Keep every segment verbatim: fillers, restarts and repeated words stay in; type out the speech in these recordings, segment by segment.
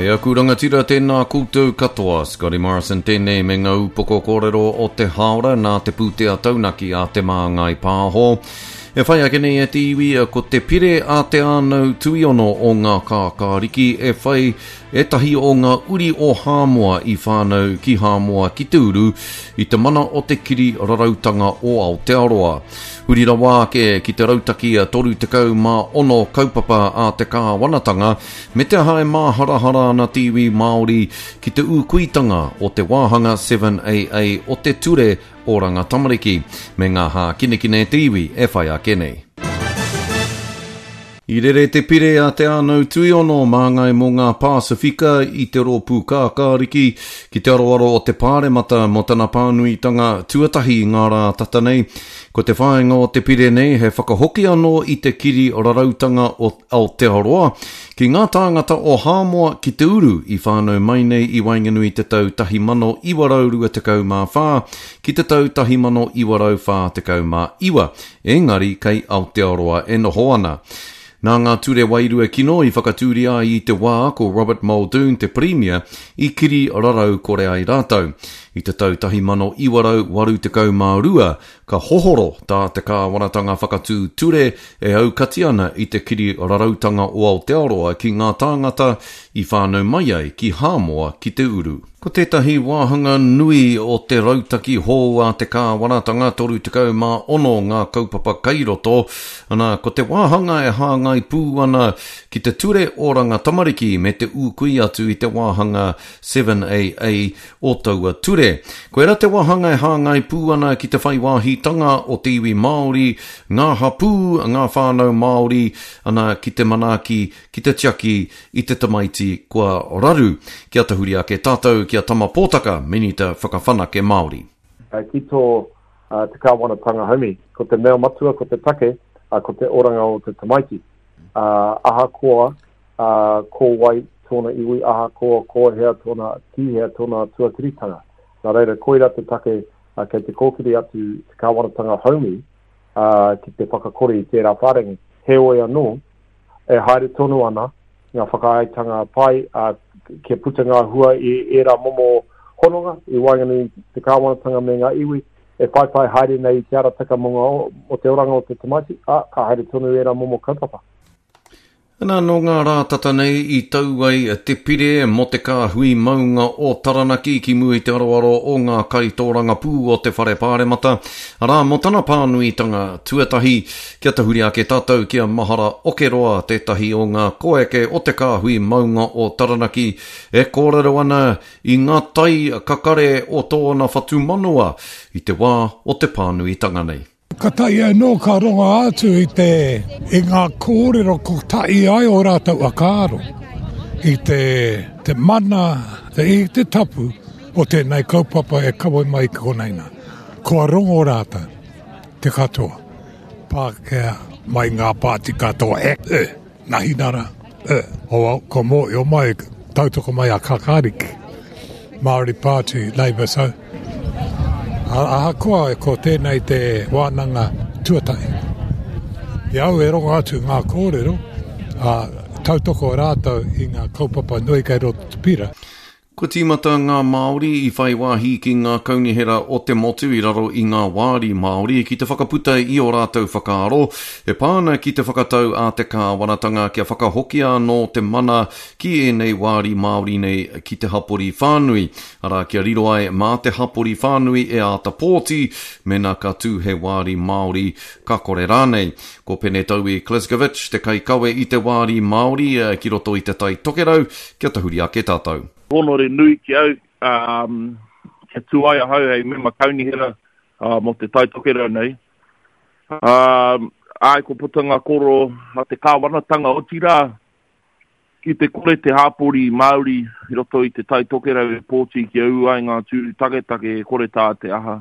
E aku rangatira tēnā koutou katoa, Scotty Morrison tēnei me ngā upoko kōrero o te hāora nā te pūtea taunaki a Te Māngai Pāho. E whai ake nei e te iwi ko te pire a Te Ānau Tuiono o ngā kākāriki e whai ētahi o ngā uri o Hāmoa i whānau ki Hāmoa ki te uru i te mana o te kiri rarautanga o Aotearoa. Huri rawa ake ki te rautaki a toru tekau mā ono kaupapa a te kāwanatanga me te aha e māharahara ana te iwi Māori ki te ūkuitanga o te wāhanga seven A A o te ture Oranga Tamariki me ngā hākinekine te iwi e whai ake nei. I rere te pire a Te Ānau Tuiono māngai mō ngā Pasifika i te rōpū kākāriki ki te aroaro o te Pāremata mō tana pānuitanga tuatahi ngā rā tata nei. Ko te whāinga o te pire nei he whakahoki anō i te kiri rarautanga o Aotearoa ki ngā tāngata o Hāmoa ki te uru i whānau mai nei i waenganui te tau tahi mano iwa rau rua tekau mā whā ki te tau tahi mano iwa rau whā tekau mā iwa, engari kei Aotearoa e noho ana. Nā ngā ture wairua kino i whakatūria ai i te wā ko Robert Muldoon te Premier i kiri rarau kore ai rātou. I te tau tahi mano iwa rau waru tekau mā rua, ka hohoro tā te kāwanatanga whakatū ture e aukati ana i te kiri rarautanga o Aotearoa ki ngā tāngata i whānau mai ai ki Hāmoa ki te uru. Ko tētahi wāhanga nui o te rautaki hou a te kāwanatanga toru tekau mā ono ngā kaupapa kairoto, ana ko te wāhanga e hāngai pū ana ki te ture oranga tamariki me te ūkui atu i te wāhanga seven A A o taua ture. Koera te wāhanga e hāngai pū ana ki te whai wāhitanga o te iwi Māori, ngā hapū, ngā whānau Māori, ana ki te manaaki, ki te tiaki i te tamaiti kua raru. Kia tahuri ake tātou ki a Tama Pōtaka, Minita Whakawhanake Māori. Ki tō te kāwanatanga haumi, ko te mea matua, ko te take, ko te oranga o te tamaiti. Ahakoa ko wai tōna iwi, ahakoa ko hea tōna, ki hea tōna tuakiritanga. Nā reira, koira te take kei te kōkiri atu te kāwanatanga haumi ki te whakakore i tērā whārangi. Heoi anō, e haere tonu ana ngā whakaaetanga pai, kia puta ngā hua i ērā momo hononga i waenganui te kāwanatanga me ngā iwi, e whaiwhai haere nei i te arataka mō ngā, mō te oranga o te tamaiti, ā, ka haere tonu ērā momo kaupapa. Nā, nō ngā rā tata nei i tau ai te pire mō te kāhui maunga o Taranaki ki mua i te aroaro o ngā kaitōrangapū o te whare pāremata. Arā, mō tana pānuitanga tuatahi, kia tahuri ake tātou ki a Mahara Okeroa, tētahi o ngā koeke o te kāhui maunga o Taranaki, e kōrero ana i ngā tai kakare o tōna whatumanawa i te wā o te pānuitanga nei. Ka tai anō ka rongo atu i te, i ngā kōrero ko tai ai o rātou whakaaro i te, te mana, te, i te tapu o tēnei kaupapa e kawe mai ki konei nā. Kua rongo rātou te katoa, Pākehā mai ngā pāti katoa, e, e, Nahinara, e, o, ko mōhio mai, tautoko mai a Kakariki, Māori Party, Labour, so, ahakoa ko tēnei te wānanga tuatahi. I au e rongo atu ngā kōrero, a, tautoko rātou i ngā kaupapa nui kei roto te pira. Kua tīmata ngā Māori i whai wāhi ki ngā kaunihera o te motu i raro i ngā wāri Māori ki te whakaputa i o rātou whakaaro e pā ana ki te whakatau a te kāwanatanga kia whakahokia anō te mana ki ēnei wāri Māori nei ki te hapori whānui. Arā, kia riro ai mā te hapori whānui e āta pōti, mēnā ka tū he wāri Māori ka kore rānei. Ko Pene Taui Kleskovic te kaikawe i te wāri Māori ki roto i te Tai Tokerau, kia tahuri ake tātou. Honore nui ki au, um, kia tū ai ahau hei mema kaunihera, uh, mō te Tai Tokerau nei. Um, ai, ko puta ngā koro a te kāwanatanga, otirā, ki te kore te hāpori Māori i roto i te Tai Tokerau e pōti kia ū ai ngā tūru taketake e kore tā te aha.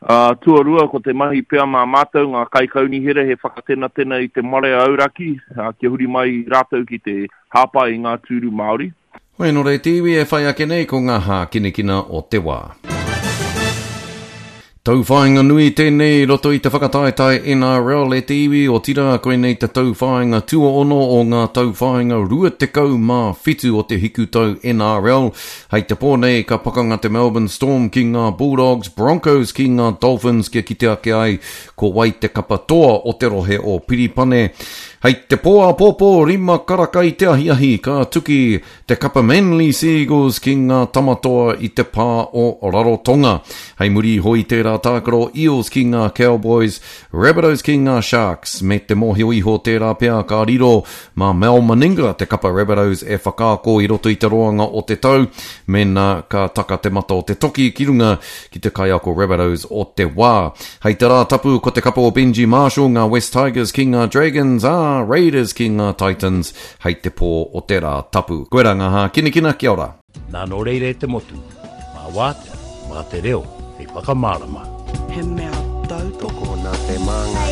Uh, tuarua, ko te mahi pea mā mātou ngā kaikaunihera he whakatenatena i te marea auraki, uh, kia huri mai rātou ki te hāpai i ngā tūru Māori. Hoi nō rei te iwi e whai ake nei ko ngā hākinakina o te wā. Tauwhāinga nui tēnei i roto i te whakataetae N R L e te iwi, otirā koinei te tauwhāinga tuaono o ngā tauwhāinga rua tekau mā whitu o te hikutau N R L. Hei te pō nei ka pakanga te Melbourne Storm ki ngā Bulldogs, Broncos ki ngā Dolphins kia kite ake ai ko wai te kapa toa o te rohe o Piripane. Hei te pō āpōpō rima karaka i te ahiahi ka tuki te kapa Manly Seagulls ki ngā tamatoa i te pā o Rarotonga. Hei muri iho i tērā tākaro Eels ki ngā Cowboys, Rabbitohs ki ngā Sharks, me te mōhio iho tērā pea ka riro mā Mal Meninga te kapa Rabbitohs e whakaako i roto i te roanga o te tau, mēnā ka taka te mata o te toki ki runga ki te kaiako Rabbitohs o te wā. Hei te rā tapu ko te kapa o Benji Marshall, ngā West Tigers ki ngā Dragons, ā, Raiders ki ngā Titans hei te pō o te rā tapu. Koirā ngā hākinakina, kia ora. Nā nō reira e te motu, mā wātea, mā te reo, hei whakamārama. He mea tautoko nā te Māngai.